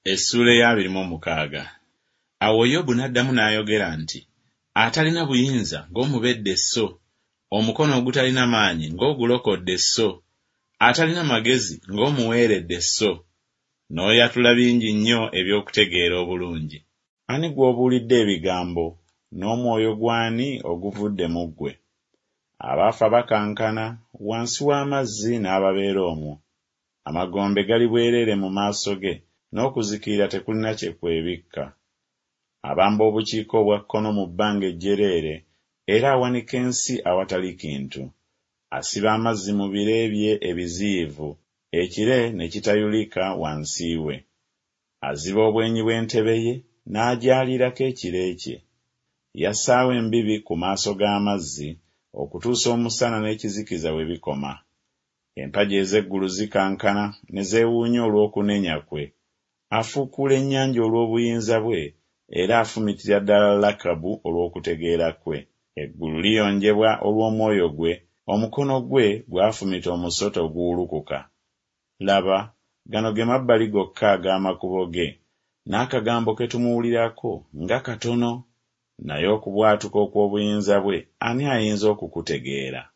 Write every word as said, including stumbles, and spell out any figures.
Essuula ey'abiri mu omukaaga. Awo Yobu n'addamu n'ayogera nti, Atalina buyinza ng'omubedde sso, omukono ogutalina maanyi ng'ogulokodde sso, atalina magezi ng'omuweeredde sso! N'oyatula bingi nnyo eby'okutegeera obulungi. Ani gw'obuulidde ebigambo, n'omwoyo gw'ani oguvudde mu ggwe? Abaafa bakankana wansi w'amazzi n'ababeera omwo. Amagombe gali bwereere mu maaso ge, n'okuzikirira tekulina kye kwebikka. Abamba obukiika obwa kkono mu bbanga ejjereere, era awanika ensi awatali kintu. Asiba amazzi mu bire bye ebiziyivu, ekire ne kitayulika wansi we. Aziba obwenyi bw'entebe ye, n'agyaliirako ekire kye. Yassaawo embibi ku maaso g'amazzi, okutuusa omusana n'ekizikiza we bikoma. Empagi ez'eggulu zikankana ne zeewuunya olw'okunenya kwe. Afuukuula ennyanja olw'obuyinza bwe, era afumitira ddala Lakabu olw'okutegeera kwe. Eggulu liyonjebwa olw'omwoyo gwe, omukono gwe gwafumita omusota oguwulukuka. Laba, gano ge mabbali gokka ag'amakubo ge, n'akagambo ke tumuwulirako nga katono! Naye okubwatuka okw'obuyinza bwe ani ayinza okukutegeera?